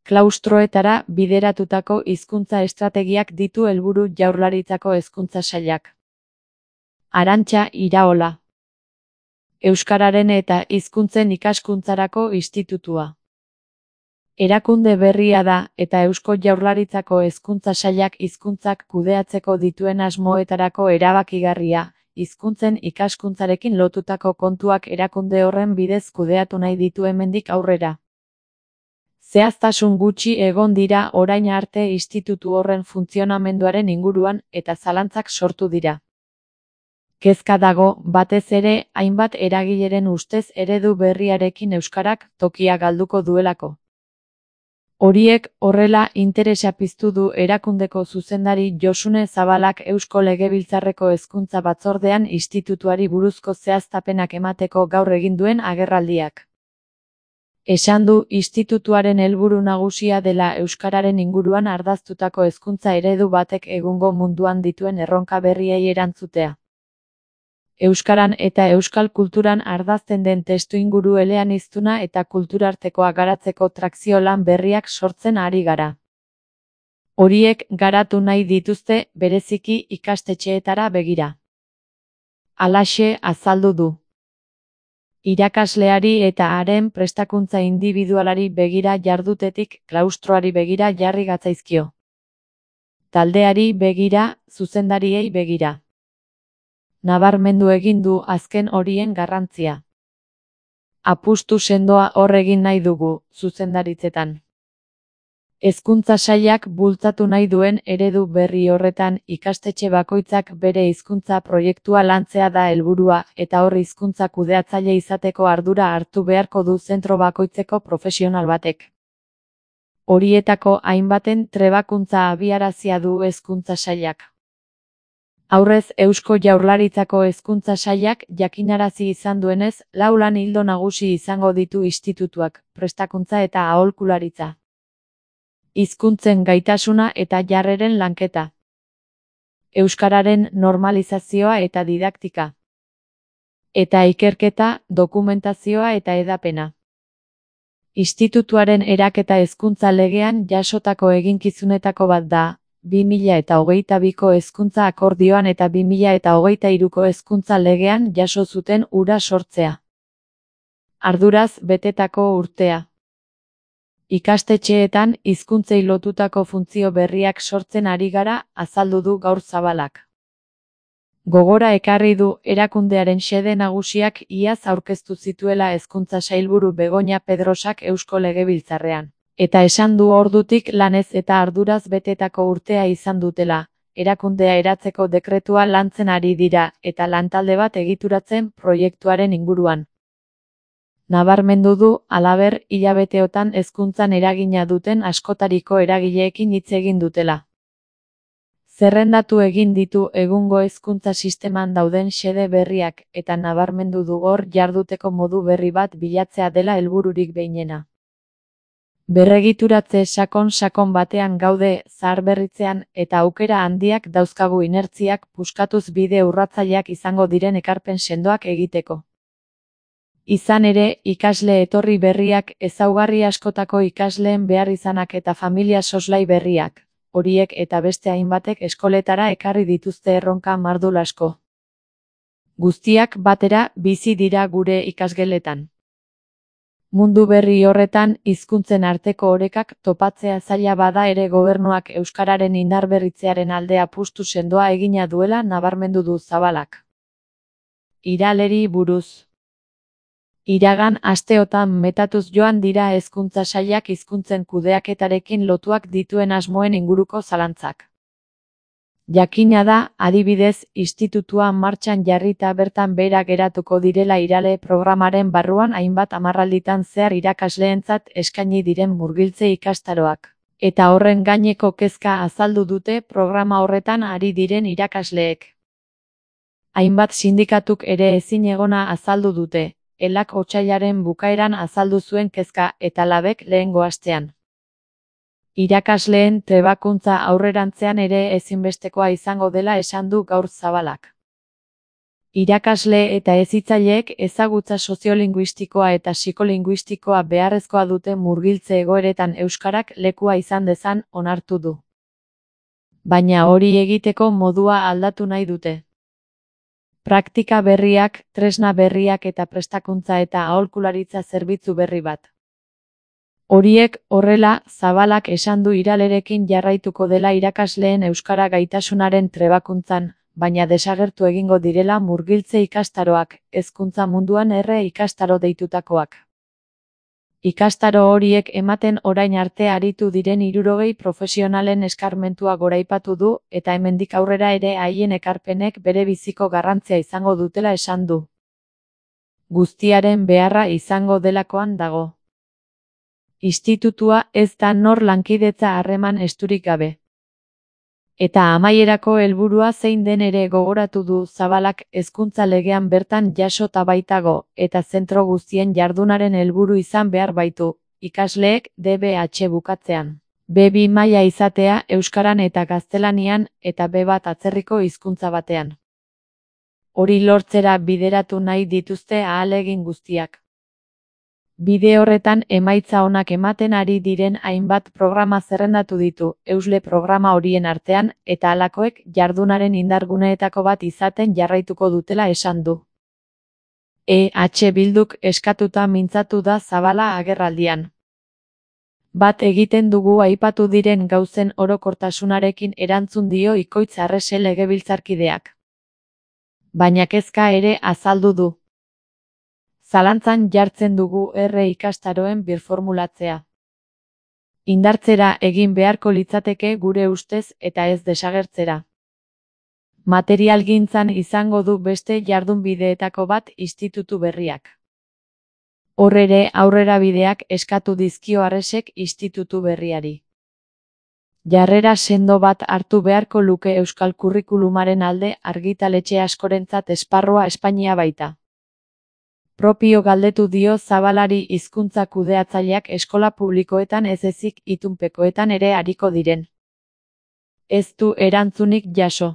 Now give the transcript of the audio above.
Klaustroetara bideratutako hizkuntza estrategiak ditu helburu Jaurlaritzako Hezkuntza Sailak. Arantxa Iraola. Euskararen eta hizkuntzen ikaskuntzarako institutua. Erakunde berria da eta Eusko Jaurlaritzako Hezkuntza Sailak hizkuntzak kudeatzeko dituen asmoetarako erabakigarria, hizkuntzen ikaskuntzarekin lotutako kontuak erakunde horren bidez kudeatu nahi ditu hemendik aurrera. Zehaztasun gutxi egon dira orain arte institutu horren funtzionamenduaren inguruan eta zalantzak sortu dira. Kezka dago, batez ere, hainbat eragileren ustez eredu berriarekin euskarak tokia galduko duelako. Horiek horrela interesa piztu du erakundeko zuzendari Josune Zabalak Eusko Legebiltzarreko Hezkuntza Batzordean institutuari buruzko zehaztapenak emateko gaur egin duen agerraldiak. Esan du institutuaren helburu nagusia dela euskararen inguruan ardaztutako hezkuntza eredu batek egungo munduan dituen erronka berriei erantzutea. Euskaran eta euskal kulturan ardazten den testuinguru eleaniztuna eta kulturartekoa garatzeko trakzio lan berriak sortzen ari gara. Horiek garatu nahi dituzte bereziki ikastetxeetara begira. Halaxe azaldu du. Irakasleari eta haren prestakuntza indibidualari begira jardutetik klaustroari begira jarri gatzaizkio. Taldeari begira, zuzendariei begira. Nabarmendu egin du azken horien garrantzia. Apustu sendoa hor egin nahi dugu, zuzendaritzetan. Hezkuntza Sailak bultzatu nahi duen eredu berri horretan ikastetxe bakoitzak bere hizkuntza proiektua lantzea da helburua eta hor hizkuntza kudeatzaile izateko ardura hartu beharko du zentro bakoitzeko profesional batek. Horietako hainbaten trebakuntza abiarazia du Hezkuntza Sailak. Aurrez Eusko Jaurlaritzako Hezkuntza Sailak jakinarazi izan duenez, 4 lan ildo nagusi izango ditu institutuak, prestakuntza eta aholkularitza. Hizkuntzen gaitasuna eta jarreren lanketa. Euskararen normalizazioa eta didaktika. Eta ikerketa, dokumentazioa eta hedapena. Institutuaren eraketa hezkuntza legean jasotako eginkizunetako bat da, 2022ko hezkuntza akordioan eta 2023ko hezkuntza legean jaso zuten hura sortzea. Arduraz betetako urtea. Ikastetxeetan hizkuntzei lotutako funtzio berriak sortzen ari gara, azaldu du gaur Zabalak. Gogora ekarri du erakundearen xede nagusiak iaz aurkeztu zituela Hezkuntza Sailburu Begoña Pedrosak Eusko Legebiltzarrean. Eta esan du ordutik lanez eta arduraz betetako urtea izan dutela, erakundea eratzeko dekretua lantzen ari dira eta lantalde bat egituratzen proiektuaren inguruan. Nabarmendu du, halaber, hilabeteotan hezkuntzan eragina duten askotariko eragileekin hitz egin dutela. Zerrendatu egin ditu egungo hezkuntza sisteman dauden xede berriak eta nabarmendu du hor jarduteko modu berri bat bilatzea dela helbururik behinena. Berregituratze sakon batean gaude zaharberritzean eta aukera handiak dauzkagu inertziak puskatuz bide urratzaileak izango diren ekarpen sendoak egiteko. Izan ere, ikasle etorri berriak, ezaugarri askotako ikasleen behar izanak eta familia soslai berriak, horiek eta beste hainbatek eskoletara ekarri dituzte erronka mardul asko. Guztiak batera bizi dira gure ikasgeletan. Mundu berri horretan hizkuntzen arteko orekak topatzea zaila bada ere gobernuak euskararen indarberritzearen alde apustu sendoa egina duela nabarmendu du Zabalak. Iraleri buruz. Iragan asteotan metatuz joan dira Hezkuntza Sailak hizkuntzen kudeaketarekin lotuak dituen asmoen inguruko zalantzak. Jakina da, adibidez, institutua martxan jarrita bertan behera geratuko direla Irale programaren barruan hainbat hamarralditan zehar irakasleentzat eskaini diren murgiltze ikastaroak. Eta horren gaineko kezka azaldu dute programa horretan ari diren irakasleek. Hainbat sindikatuk ere ezinegona azaldu dute. Elak otsailaren bukaeran azaldu zuen kezka eta Labek lehengo astean. Irakasleen trebakuntza aurrerantzean ere ezinbestekoa izango dela esan du gaur Zabalak. Irakasle eta hezitzaileek ezagutza soziolinguistikoa eta psikolinguistikoa beharrezkoa dute murgiltze egoeretan euskarak lekua izan dezan onartu du. Baina hori egiteko modua aldatu nahi dute. Praktika berriak, tresna berriak eta prestakuntza eta aholkularitza zerbitzu berri bat. Horiek horrela, Zabalak esan du iralerekin jarraituko dela irakasleen euskara gaitasunaren trebakuntzan, baina desagertu egingo direla murgiltze ikastaroak, hezkuntza munduan ikastaro deitutakoak. Ikastaro horiek ematen orain arte aritu diren 60 profesionalen eskarmentua goraipatu du eta hemendik aurrera ere haien ekarpenek bere biziko garrantzia izango dutela esan du. Guztiaren beharra izango delakoan dago. Institutua ez da nor lankidetza harreman esturik gabe. Eta amaierako helburua zein den ere gogoratu du Zabalak hezkuntza legean bertan jasota baitago, eta zentro guztien jardunaren helburu izan behar baitu, ikasleek DBH bukatzean. B2 maila izatea euskaran eta gaztelanian eta B1 atzerriko hizkuntza batean. Hori lortzera bideratu nahi dituzte ahalegin guztiak. Bide horretan emaitza onak ematen ari diren hainbat programa zerrendatu ditu, Eusle programa horien artean, eta halakoek jardunaren indarguneetako bat izaten jarraituko dutela esan du. Bilduk eskatuta mintzatu da Zabala agerraldian. Bat egiten dugu aipatu diren gauzen orokortasunarekin erantzun dio Ikoitz Arrese legebiltzarkideak. Baina kezka ere azaldu du. Zalantzan jartzen dugu ikastaroen birformulatzea. Indartzera egin beharko litzateke gure ustez eta ez desagertzera. Materialgintzan izango du beste jardunbideetako bat institutu berriak. Hor ere aurrerabideak eskatu dizkio Arresek institutu berriari. Jarrera sendo bat hartu beharko luke euskal kurrikulumaren alde argitaletxe askorentzat esparrua Espainia baita. Propio galdetu dio Zabalari hizkuntza kudeatzaileak eskola publikoetan ez ezik itunpekoetan ere ariko diren. Ez du erantzunik jaso.